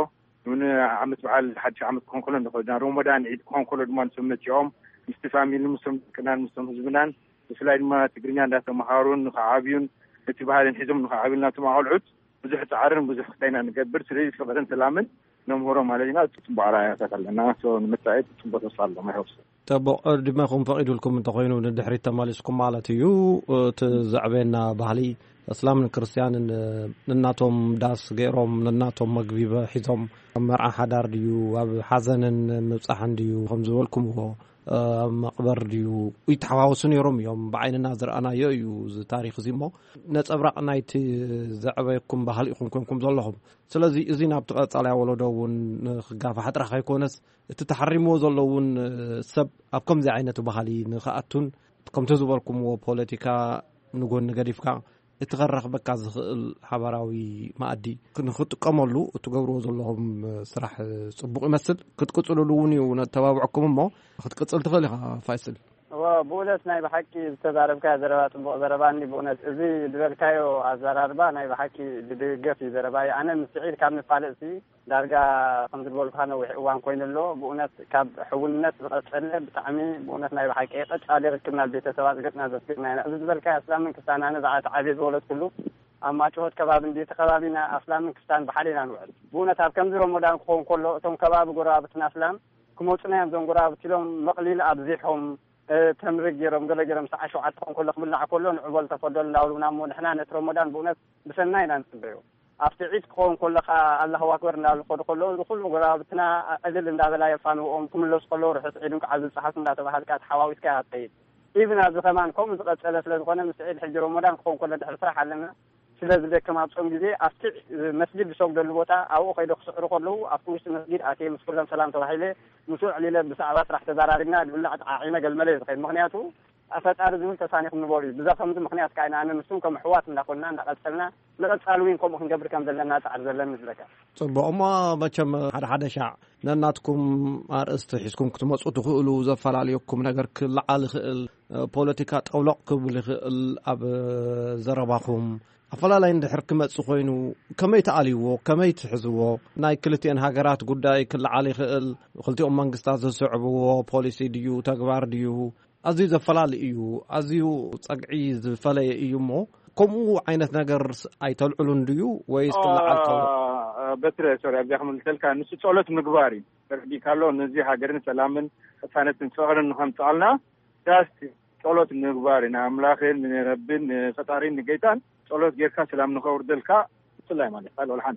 ንዓመት በዓል ሓድሽ ዓመት ክኾን ከሎ ንኸዶና፣ ሮሞዳን ዒድ ክኾን ከሎ ድማ ንሶም መጺኦም ምስቲ ፋሚሊ፣ ምስቶም ደቅናን ምስቶም ህዝብናን፣ ብፍላይ ድማ ትግርኛ እንዳተምሃሩን ንኸዓብዩን ነቲ ባህልን ሒዞም ንኸዓብዩን ናቶም ኣቆልዑት ብዙሕ ጻዕርን ብዙሕ ክስታይና ንገብር። ስለዚ ፍቕርን ሰላምን ነምህሮ ማለት ኢና። ጽቡቕ ኣርኣያታት ኣለና። ሶ፣ ንምጻኢ ጽቡቕ ተስፋ ኣሎ። ማይ ሆፕ ሶ። ጽቡቕ፣ ዕድመኹም ፈቒዱልኩም እንተኾይኑ ንድሕሪት ተመሊስኩም ማለት እዩ። እቲ ዘዕበየና ባህሊ፣ እስላምን ክርስትያንን ንናቶም ዳስ ገይሮም፣ ንናቶም መግቢ ሒዞም፣ ኣብ መርዓ ሓዳር ድዩ፣ ኣብ ሓዘንን ምብጻሕን ድዩ፣ ከም ዝበልኩምዎ፣ ኣብ መቕበር ድዩ፣ ይተሓዋወሱ ነይሮም እዮም። ብዓይንና ዝረኣናዮ እዩ እዚ ታሪኽ እዚ እሞ፣ ነጸብራቕ ናይቲ ዘዕበየኩም ባህሊ ኢኹም ኮንኩም ዘለኹም። ስለዚ እዚ ናብቲ ቀጻላይ ወለዶ እውን ንኽጋፋሕ ጥራሕ ከይኮነስ፣ እቲ ተሓሪምዎ ዘሎ እውን ሰብ ኣብ ከምዚ ዓይነት ባህሊ ንኽኣቱን፣ ከምቲ ዝበልኩምዎ ፖለቲካ ንጎኒ ገዲፍካ፣ እቲ ከራኽበካ ዝኽእል ሓባራዊ መኣዲ ንኽጥቀመሉ እትገብርዎ ዘለኹም ስራሕ ጽቡቕ ይመስል። ክትቅጽልሉ እውን እዩ ነተባብዐኩም እሞ፣ ክትቅጽል ትኽእል ኢኻ ፋይስል። እዎ፣ ብእውነት ናይ ብሓቂ ዝተዛረብካዮ ዘረባ ጽቡቕ ዘረባ እኒ። ብእውነት እዚ ዝበልካዮ ኣዘራርባ ናይ ብሓቂ ዝድገፍ እዩ ዘረባይ። ኣነ ምስ ስዒድ ካብ ንፋለጥ ሲ ዳርጋ ከም ዝበልኩኻ ነዊሕ እዋን ኮይኑ ኣሎ። ብእውነት ካብ ሕውነት ዝቐጸለ ብጣዕሚ ብእውነት ናይ ብሓቂ ቀጻሊ ርክብና ቤተሰብ ኣጽገጥና ዘስግጥና ኢና። እዚ ዝበልካዮ ኣስላምን ክስታን ኣነ ዝዓተ ዓብየ ዝበለትኩሉ ኣብ ማጭሆት ከባቢ እንዲ እቲ ከባቢና ኣስላምን ክስታን ብሓደ ኢና ንውዕል። ብእውነት ኣብ ከምዚ ረመዳን ክኸውን ከሎ እቶም ከባቢ ጎረባብትና ኣስላም ክመጹና እዮም። እዞም ጎረባብቲ ኢሎም መቕሊል ኣብዚሖም ተምሪ ገይሮም ገለ ገይሮም ሰዓ ሸውዓተ ክኸውን ከሎ ክብላዕ ከሎ ንዑ በል ተፈደሉ እንዳብሉና እሞ ንሕና ነቲ ረመዳን ብእውነት ብሰናይ ኢና ንጽበዮ። ኣብቲ ዒድ ክኸውን ከሎ ከዓ ኣላሁ ኣክበር እንዳበሉ ክኸዱ ከለዉ እዚ ኩሉ ጎረባብትና ዕልል እንዳበላ የፋንውኦም ክምለሱ ከለዉ ርሑስ ዒድ እንኳዕ ኣብዚ በጻሕኩም እንዳተባሃልካ ተሓዋዊስካ ኢኻ ትኸይድ። ኢብን ኣብዚ ከማን ከምኡ ዝቐጸለ ስለ ዝኾነ ምስ ዒድ ሕጂ ረመዳን ክኸውን ከሎ ድሕሪ ስራሕ ኣለና ስለ ዝደክም ኣብ ጾም ግዜ ኣብቲ መስጊድ ዝሰግደሉ ቦታ ኣብኡ ከይደ ክስዕሩ ከለዉ ኣብቲ ውሽጢ መስጊድ ኣትየ ምስ ኩሎም ሰላም ተባሂለ ምስኡ ዕሊለ ብዛዕባ ስራሕ ተዛራሪብና ድብላዕ ተዓዒመ ገልመለ እየ ዝኸይድ። ምኽንያቱ ፈጣሪ ዝብል ተሳኒኹም ንበሩ እዩ። ብዛ ከምዚ ምኽንያት ከኣ ኢና ኣነ ንሱን ከም ኣሕዋት እንዳኾንና እንዳቐጸልና ንቐጻሊ እውን ከምኡ ክንገብር ከም ዘለና ጻዕሪ ዘለኒ ዝብለካ። ጽቡቕ እሞ መቸም ሓደ ሓደ ሻዕ ነናትኩም ኣርእስቲ ሒዝኩም ክትመጹ ትኽእሉ። ዘፈላለየኩም ነገር ክለዓል ይኽእል። ፖለቲካ ጠውለቕ ክብል ይኽእል። ኣብ ዘረባኹም ኣፈላላይ እንድሕር ክመጽእ ኮይኑ ከመይ ትኣልይዎ? ከመይ ትሕዝዎ? ናይ ክልቲኤን ሃገራት ጉዳይ ክለዓል ይኽእል። ክልቲኦም መንግስታት ዝስዕብዎ ፖሊሲ ድዩ ተግባር ድዩ? ኣዝዩ ዘፈላሊ እዩ። ኣዝዩ ጸግዒ ዝፈለየ እዩ እሞ ከምኡ ዓይነት ነገር ኣይተልዕሉን ድዩ ወይስ ክለዓል ከሎ? በትረ ሶሪ ኣብዚኣ ክምልሰልካ ንሱ ጸሎት ምግባር እዩ። ተረዲእካ ኣሎ ነዚ ሃገርን ሰላምን ቅሳነትን ፍቕርን ንኸምጽኣልና ዳስቲ ጸሎት ምግባር እዩ። ንኣምላኽን ንረብን ንፈጣሪን ንጌታን ጸሎት ጌርካ ሰላም ንኸውርደልካ ብፍላይ ማለት ካልኦ ልሓን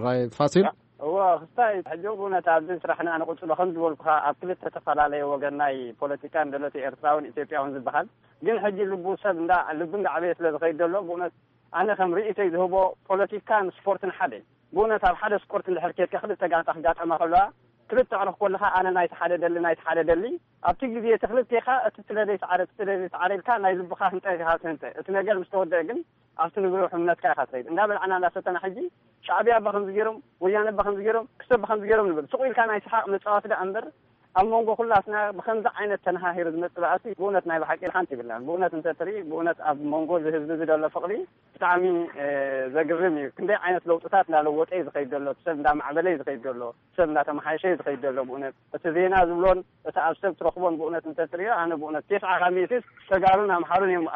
ራይ ፋሲል እዎ ክስታይ ሕጂ ብእውነት ኣብዚ ስራሕና ንቕፅሎ ከም ዝበልኩኻ ኣብ ክልተ ተፈላለየ ወገን ናይ ፖለቲካን ደሎት ኤርትራውን ኢትዮጵያውን ዝበሃል ግን ሕጂ ልቡ ሰብ እንዳ ልቢ እንዳዕበየ ስለ ዝኸይድ ዘሎ ብእውነት ኣነ ከም ርእይቶይ ዝህቦ ፖለቲካን ስፖርትን ሓደ እዩ። ብእውነት ኣብ ሓደ ስፖርት እንድሕር ኬድካ ክልተ ጋንታ ክጋጠማ ከለዋ ክልተ ዕርኽ ኮለኻ ኣነ ናይቲ ሓደ ደሊ ናይቲ ሓደ ደሊ ኣብቲ ግዜ እቲ ክልቴኻ እቲ ትደለይ ሰዓረ እቲ ትደለይ ሰዓረ ኢልካ ናይ ልብኻ ህንጠ ኢኻ ትህንጠ እቲ ነገር ምስ ተወደአ ግን ኣብቲ ንብሎ ሕምነትካ ኢኻ ትኸይድ። እንዳበላዕና እንዳሰተና ሕጂ ሻዕብያ ብኸምዚ ገይሮም፣ ወያነ ብኸምዚ ገይሮም፣ ክስቶ ብኸምዚ ገይሮም ንብል። ስቕ ኢልካ ናይ ሰሓቕ መጻወቲ ደኣ እምበር ኣብ መንጎ ኩላትና ብኸምዚ ዓይነት ተነሃሂሩ ዝመጽእ ባእሲ ብእውነት ናይ ብሓቂ ሓንቲ ይብልናን። ብእውነት እንተ ትርኢ ብእውነት ኣብ መንጎ እዚ ህዝቢ እዚ ዘሎ ፍቕሪ ብጣዕሚ ዘግርም እዩ። ክንደይ ዓይነት ለውጥታት እንዳለወጠ እዩ ዝኸይድ ዘሎ፣ ሰብ እንዳማዕበለ እዩ ዝኸይድ ዘሎ፣ ሰብ እንዳተመሓየሸ እዩ ዝኸይድ ዘሎ። ብእውነት እቲ ዜና ዝብሎን እቲ ኣብ ሰብ ትረኽቦን ብእውነት እንተ ትርእዮ ኣነ ብእውነት ቴስዓ ካብ ሚእቲ ተጋሩን ኣምሓሩን እዮም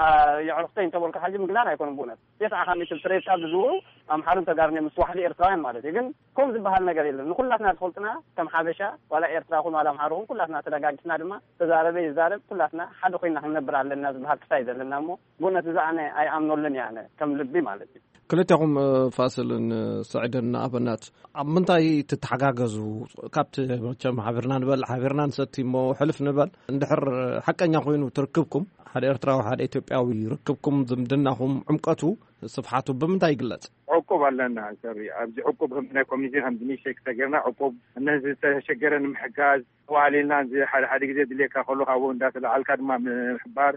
የዕርኽተይ እንተበልኩ ሓጂ ምግናን ኣይኮኑን። ብእውነት ቴስዓ ካብ ሚእቲ ብትሬድካ ብዝውሩ ኣምሓሩን ተጋሩን እዮም ምስ ዋሕዲ ኤርትራውያን ማለት እዩ። ግን ከም ዝበሃል ነገር የለን። ንኩላትና ዝፈልጡና ከም ሓበሻ ዋላ ኤርትራ ኹን ዋላ ኣምሓሩ ኹን ኩላትና ተደጋጊፍና ድማ ተዛረበ ይዛረብ ኩላትና ሓደ ኮይና ክንነብር ኣለና ዝበሃል ክሳይ ዘለና እሞ ብእውነት እዚ ኣነ ኣይኣምነሉን እየ ኣነ ከም ልቢ ማለት እዩ። ክልቴኹም ፋስልን ስዕድን ንኣብነት ኣብ ምንታይ ትተሓጋገዙ? ካብቲ መቸም ሓቢርና ንበልዕ ሓቢርና ንሰቲ እሞ ሕልፍ ንበል እንድሕር ሓቀኛ ኮይኑ ትርክብኩም ሓደ ኤርትራዊ ሓደ ኢትዮጵያዊ ርክብኩም ዝምድናኹም ዕምቀቱ ስፍሓቱ ብምንታይ ይግለጽ? ዕቁብ ኣለና ሰሪ ኣብዚ ዕቁብ ከም ናይ ኮሚኒቲ ከም ድንሽ ሸክ ተገርና ዕቁብ እነዚ ዝተሸገረ ንምሕጋዝ ተዋህሊልና እዚ ሓደ ሓደ ግዜ ድልየካ ከሎ ካብኡ እንዳተለዓልካ ድማ ምሕባር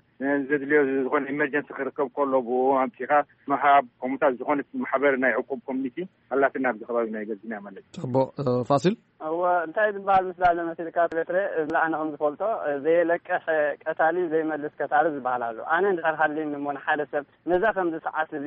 ዘድልዮ ዝኾነ ኢመርጀንሲ ክርከብ ከሎ ብኡ ኣምፂኻ ምሃብ ከምኡታት ዝኾነት ማሕበር ናይ ዕቁብ ኮሚኒቲ ኣላትና ኣብዚ ከባቢ ናይ ገርጂና ማለት እዩ። ጽቡቕ ፋሲል እወ እንታይ ዝበሃል ምስ ዳለ መሲልካ በትረ እዚ ኣነ ከም ዝፈልጦ ዘየለቅሕ ቀታሊ ዘይመልስ ከሳሪ ዝበሃል ኣሎ። ኣነ እንድሕር ሃልኒ እሞ ንሓደ ሰብ ነዛ ከምዚ ሰዓት እዚ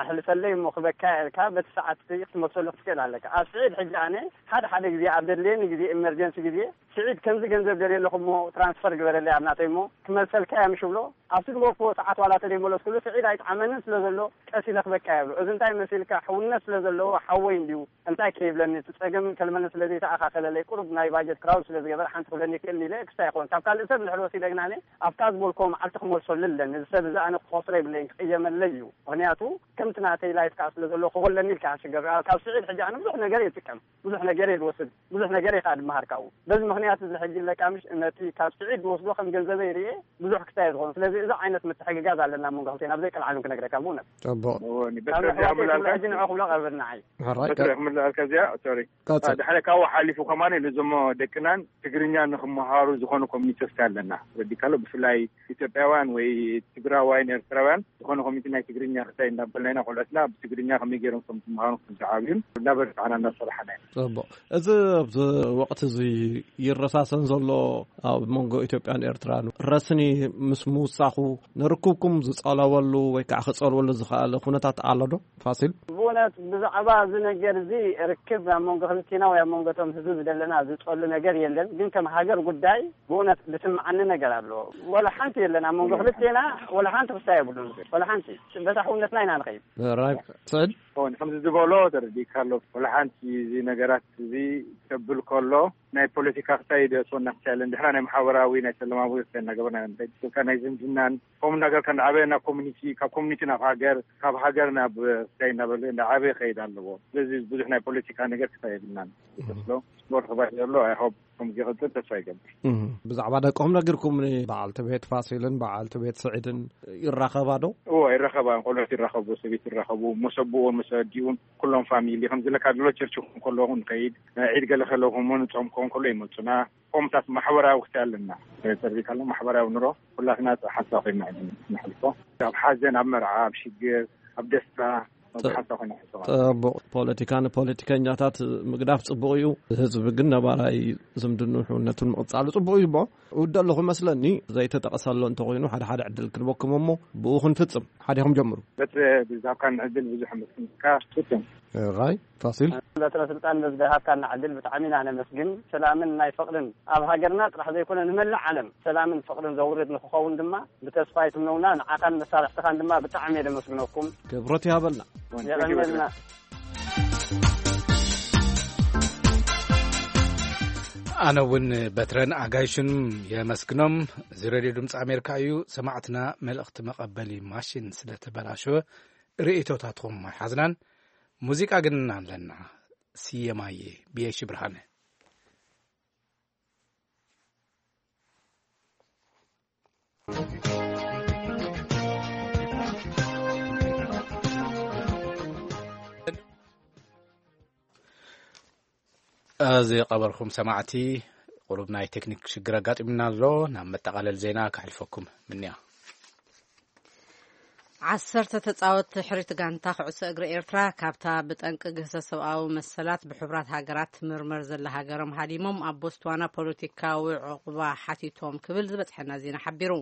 ኣሕልፈለይ እሞ ክበካ ኢልካ በቲ ሰዓት ክትመልሰሉ ክትክእል ኣለካ። ኣብ ስዒድ ሕጂ ኣነ ሓደ ሓደ ግዜ ኣብ ዘድልየኒ ግዜ ኢመርጀንሲ ግዜ ስዒድ ከምዚ ገንዘብ ደልየ ኣለኹ እሞ ትራንስፈር ግበረለይ ኣብ ናተይ እሞ ክመልሰልካ እያ ምሽ ብሎ ኣብቲ ዝበልክዎ ሰዓት ዋላ ተደይመለስኩሉ ስዒድ ኣይጠዓመንን ስለ ዘሎ ቀስ ኢለ ክበካ እየ ብሎ። እዚ እንታይ መሲልካ ሕውነት ስለ ዘለዎ ሓወይ እንድዩ እንታይ ከይብለኒ እቲ ጸገም ከልመኒ ስለ ዘይተኣኻኸለለይ ቁሩብ ናይ ባጀት ክራውድ ስለ ዝገበረ ሓንቲ ክብለኒ ይክእልኒ ኢለ ክስታይ ኣይኮን ካብ ካልእ ሰብ እንድሕር ወሲደ ግናኒ ኣብታ ዝበልክዎ መዓልቲ ክመልሰሉ ኣለኒ። እዚ ሰብ እዚ ኣነ ክኸስሮ የብለይን ክቕየመለይ እዩ። ምኽንያቱ ከምቲ ናተይ ላይፍ ከዓ ስለ ዘሎ ክኾለኒ ኢልካ ሽገር ካብ ስዒድ ሕጂ ኣነ ብዙሕ ነገር እየ ዝጥቀም ብዙሕ ነገር እየ ዝወስድ ብዙሕ ነገር እየ ከዓ ድመሃር ካብኡ። በዚ ምኽንያት እዚ ሕጂ ለቃምሽ ነቲ ካብ ስዒድ ዝወስዶ ከም ገንዘበይ ርእየ ብዙሕ ክስታይ ዝኸውን። ስለዚ እዚ ዓይነት ምትሕግጋዝ ኣለና ኣብ መንጎ ክልቴና ብዘይ ቀልዓለም ክነግረካ ብእውነት። ጽቡቕ። እወ፣ እኒ በትረ ካብ ንሕዋተይ ክብላ፣ ሕጂ ንዑ ክብሎ ቀርበኒ ንዓይ። ሕራይ፣ በትረ ቀ-፣ ክምልኣልካ እዚኣ፣ ሶሪ። ቀጽል። ድሕሪ ካብኡ ሓሊፉ ከማን ነዞም ደቅናን ትግርኛ ንክመሃሩ ዝኾነ ኮሚኒቲ ወስዳ ኣለና። ረዲካሎ ብፍላይ ኢትዮጵያውያን ወይ ትግራዋይን ኤርትራውያን ዝኾነ ኮሚኒቲ ናይ ትግርኛ ክሳይ እንዳበልና እና ቆልዑትና ብትግርኛ ከመይ ገይሮም ከም ዝመሃሩ፣ ከም ዝዓብዩን እናበረታዕና እናሰርሓና ኢና። ጽቡቕ። እዚ ኣብዚ ወቕቲ እዚ ይረሳሰን ዘሎ ኣብ መንጎ ኢትዮጵያን ኤርትራን ረስኒ ምስ ምውሳኹ ንርክብኩም ዝጸለወሉ ወይ ከዓ ክጸልወሉ ዝኸኣለ ኩነታት ኣሎ ዶ? ፋሲል? ብእውነት ብዛዕባ እዚ ነገር እዚ ርክብ ኣብ መንጎ ክልቴና ወይ ኣብ መንጎ እቶም ህዝቢ ዝደለና ዝጸሉ ነገር የለን። ግን ከም ሃገር ጉዳይ ብእውነት ዝስምዓኒ ነገር ኣሎ። ወላ ሓንቲ የለን ኣብ መንጎ ክልቴና፣ ወላ ሓንቲ ክስታይ የብሉን። ወላ ሓንቲ በታ ሕውነትና ኢና ንኸይድ። ራይ ስዕድ? ሆን ከምዚ ዝበሎ ተረዲእካ ኣሎ። ወላ ሓንቲ እዚ ነገራት እዚ ከብል ከሎ ናይ ፖለቲካ ክሳይ ደእትወና ክሳይ የለን። ድሕራ ናይ ማሕበራዊ ናይ ሰላማዊ ክሳይ እናገበርና ኢና ንኸይድ። ስልካ ናይ ዝምድናን ከምኡ እናገርካ እንዳዓበየ ናብ ኮሚኒቲ፣ ካብ ኮሚኒቲ ናብ ሃገር፣ ካብ ሃገር ናብ ክሳይ እናበለ እንዳዓበየ ክኸይድ ኣለዎ። ስለዚ ብዙሕ ናይ ፖለቲካ ነገር ክሳይ የብልናን። ስሎ ስፖርት ክባይ ዘሎ ኣይሆብ ከም ዝቕጽል ተስፋ ይገብር። እህ፣ ብዛዕባ ደቅኹም ነጊርኩም፣ በዓልቲ ቤት ፋሲልን በዓልቲ ቤት ስዒድን ይራኸባ ዶ? እዎ፣ ይራኸባ። ቆልዑት ይራኸቡ፣ ሰበይት ይራኸቡ፣ መሰ ኣቦኡን መሰ ኣዲኡን ኩሎም ፋሚሊ። ከምዚ ለካ ድሎ ቸርች ክኾን ከለኹ ንኸይድ፣ ዒድ ገለ ከለኹም እውን ጾም ክኾን ከሎ ይመጹና። ከምታት ማሕበራዊ ክሳይ ኣለና። ተርቢካ ኣሎ ማሕበራዊ ኑሮ ኩላትና ሓንሳብ ኮይና ኢና ነሕልፎ። ኣብ ሓዘን፣ ኣብ መርዓ፣ ኣብ ሽግር፣ ኣብ ደስታ፣ ኣብ ሓንሳብ ኮይና ነሕልፎ። ጽቡቕ። ፖለቲካ ንፖለቲከኛታት ምግዳፍ ጽቡቕ እዩ። ህዝቢ ግን ነባራይ ዝምድንኡ ሕውነቱን ምቕጻሉ ጽቡቕ እዩ እሞ፣ እውደ ኣለኹ መስለኒ። ዘይተጠቕሰሎ እንተኾይኑ ሓደ ሓደ ዕድል ክንበኩም እሞ ብኡ ክንፍጽም። ሓዲኹም ጀምሩ። በትረ ብዝሃብካኒ ዕድል ብዙሕ ኣመስግንካ። ፍጹም። ራይ ፋሲል። በትረ ስልጣን በዝደሃብካና ዕድል ብጣዕሚ ኢና ነመስግን። ሰላምን ናይ ፍቕርን ኣብ ሃገርና ጥራሕ ዘይኮነ ንመላእ ዓለም ሰላምን ፍቕርን ዘውርድ ንክኸውን ድማ ብተስፋ ይትምነውና። ንዓኻን መሳርሕትኻን ድማ ብጣዕሚ እየ ደመስግነኩም። ክብረት ይሃበልና። የቐንየልና። ኣነ እውን በትረን ኣጋይሽን የመስግኖም። እዚ ሬድዮ ድምፂ ኣሜሪካ እዩ። ሰማዕትና፣ መልእኽቲ መቐበሊ ማሽን ስለተበላሸወ ርእይቶታትኩም ኣይሓዝናን። ሙዚቃ ግን ኣለና። ስየማየ ብየሺ ብርሃነ። እዚ ቀበርኩም ሰማዕቲ፣ ቁሩብ ናይ ቴክኒክ ሽግር ኣጋጢሙና ኣሎ። ናብ መጠቓለል ዜና ከሕልፈኩም ምንያ። ዓሰርተ ተጻወትቲ ሕሪት ጋንታ ኩዕሶ እግሪ ኤርትራ ካብታ ብጠንቂ ግህሰት ሰብኣዊ መሰላት ብሕቡራት ሃገራት ትምርመር ዘላ ሃገሮም ሃዲሞም ኣብ ቦትስዋና ፖለቲካዊ ዕቑባ ሓቲቶም ክብል ዝበጽሐና ዜና ሓቢሩ።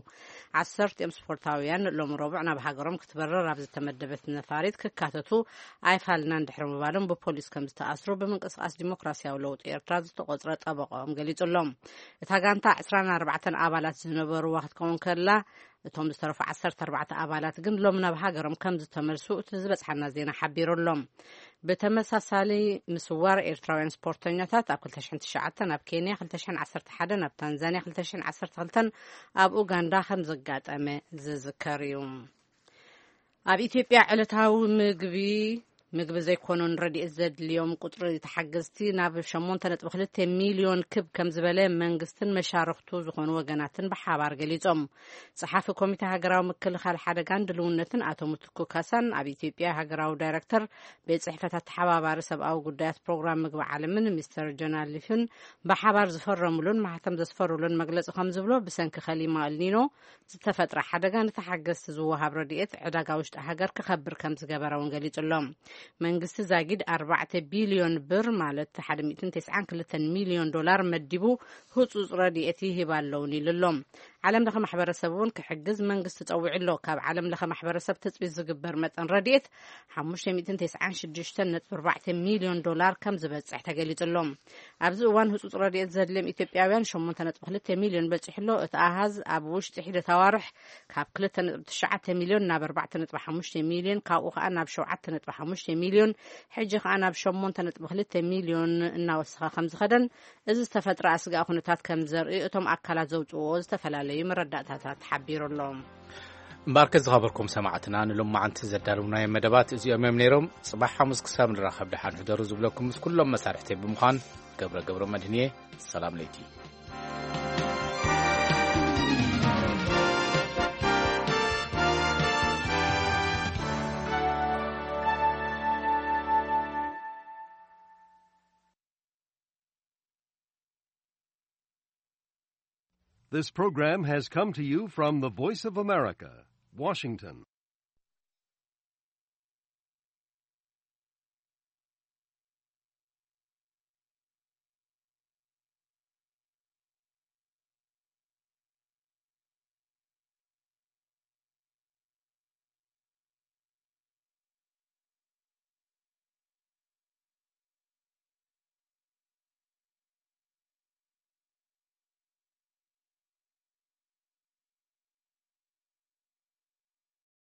ዓሰርቲኦም ስፖርታውያን ሎሚ ረቡዕ ናብ ሃገሮም ክትበርር ኣብ ዝተመደበት ነፋሪት ክካተቱ ኣይፋልናን ድሕሪ ምባሎም ብፖሊስ ከም ዝተኣስሩ ብምንቅስቃስ ዲሞክራሲያዊ ለውጢ ኤርትራ ዝተቆጽረ ጠበቆም ገሊጹ ኣሎ። እታ ጋንታ ዕስራን ኣርባዕተን ኣባላት ዝነበርዋ ክትከውን ከላ፣ እቶም ዝተረፉ ዓሰርተ ኣርባዕተ ኣባላት ግን ሎም ናብ ሃገሮም ከም ዝተመልሱ እቲ ዝበጽሓና ዜና ሓቢሩ ኣሎ። ብተመሳሳሊ ምስዋር ኤርትራውያን ስፖርተኛታት ኣብ ክልተ ሽሕን ትሽዓተን ኣብ ኬንያ፣ ክልተ ሽሕን ዓሰርተ ሓደን ኣብ ታንዛንያ፣ ክልተ ሽሕን ዓሰርተ ክልተን ኣብ ኡጋንዳ ከም ዘጋጠመ ዝዝከር እዩ። ኣብ ኢትዮጵያ ዕለታዊ ምግቢ፣ ምግቢ ዘይኮኑን ረድኤት ዘድልዮም ቁጽሪ ተሓገዝቲ ናብ ሸሞንተ ነጥቢ ክልተ ሚልዮን ክብ ከም ዝበለ መንግስትን መሻርኽቱ ዝኾኑ ወገናትን ብሓባር ገሊጾም። ጸሓፊ ኮሚተ ሃገራዊ ምክልኻል ሓደጋን ድልውነትን ኣቶ ምትኩ ካሳን ኣብ ኢትዮጵያ ሃገራዊ ዳይሬክተር ቤት ጽሕፈት ኣተሓባባሪ ሰብኣዊ ጉዳያት ፕሮግራም ምግቢ ዓለምን ሚስተር ጆናልፍን ብሓባር ዝፈረሙሉን ማሕተም ዘስፈሩሉን መግለጺ ከም ዝብሎ፣ ብሰንኪ ከሊማ ኣልኒኖ ዝተፈጥረ ሓደጋ ንተሓገዝቲ ዝወሃብ ረድኤት ዕዳጋ ውሽጢ ሃገር ክኸብር ከም ዝገበረ እውን ገሊጹ ኣሎ። መንግስቲ ዛጊድ ኣርባዕተ ቢልዮን ብር፣ ማለት ሓደ ሚእትን ተስዓን ክልተን ሚልዮን ዶላር መዲቡ ህጹጽ ረድኤት ይህብ ኣለውን ኢሉ ኣሎ። ዓለም ለኸ ማሕበረሰብ እውን ክሕግዝ መንግስቲ ጸዊዑ ኣሎ። ካብ ዓለም ለኸ ማሕበረሰብ ትጽቢት ዝግበር መጠን ረድኤት ሓሙሽተ ሚእትን ተስዓን ሽዱሽተን ነጥቢ ኣርባዕተ ሚልዮን ዶላር ከም ዝበጽሕ ተገሊጹ ኣሎ። ኣብዚ እዋን ህጹጽ ረድኤት ዘድልዮም ኢትዮጵያውያን ሸሞንተ ነጥቢ ክልተ ሚልዮን በጺሑ ኣሎ። እቲ ኣሃዝ ኣብ ውሽጢ ሒደት ኣዋርሕ ካብ ክልተ ነጥቢ ትሽዓተ ሚልዮን ናብ ኣርባዕተ ነጥቢ ሓሙሽተ ሚልዮን፣ ካብኡ ከኣ ናብ ሸውዓተ ነጥቢ ሓሙሽተ ሚልዮን፣ ሕጂ ከኣ ናብ ሸሞንተ ነጥቢ ክልተ ሚልዮን እናወሰኸ ከም ዝኸደን፣ እዚ ዝተፈጥረ ኣስጋኢ ኩነታት ከም ዘርኢ እቶም ኣካላት ዘውጽእዎ ዝተፈላለዩ መረዳእታታት ሓቢሩ ኣሎ። እምበኣርከ ዝኸበርኩም ሰማዕትና፣ ንሎማዓንቲ ዘዳለውናዮም መደባት እዚኦም እዮም ነይሮም። ጽባሕ ሓሙስ ክሳብ ንራኸብ ደሓን ሕደሩ ዝብለኩም ምስ ኩሎም መሳርሕተይ ብምዃን ገብረ ገብረ መድህንየ። ሰላም ለይቲ። This program has come to you from the Voice of America, Washington.